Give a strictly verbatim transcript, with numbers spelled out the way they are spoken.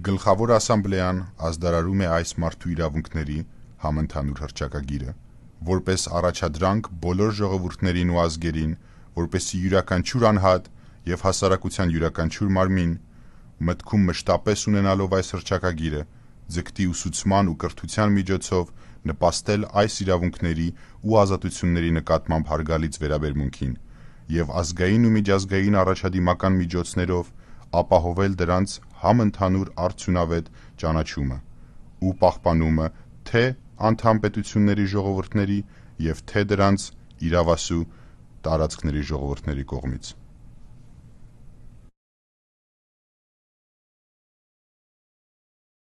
Գլխավոր ասամբլեան ազդարարում է այս մարդու իրավունքների համընդհանուր հռչակագիրը, որպես առաջադրանք բոլոր ժողովուրդներին ու ազգերին, որպեսզի յուրաքանչյուր անհատ և հասարակության յուրաքանչյուր մարմին, մտքում մշտապես ունենալով այս հռչակագիրը, ձգտի ուսուցման ու կրթության միջոցով նպաստել այս իրավունքների ու ազատությունների նկատմամբ հարգալից վերաբերմունքին և ազգային ու միջազգային առաջադիմական միջոցներով ապահովել դրանց համընդհանուր արդյունավետ ճանաչումը ու պահպանումը թե անդամ պետությունների ժողովուրդների և թե դրանց իրավասու տարածքների ժողովուրդների կողմից։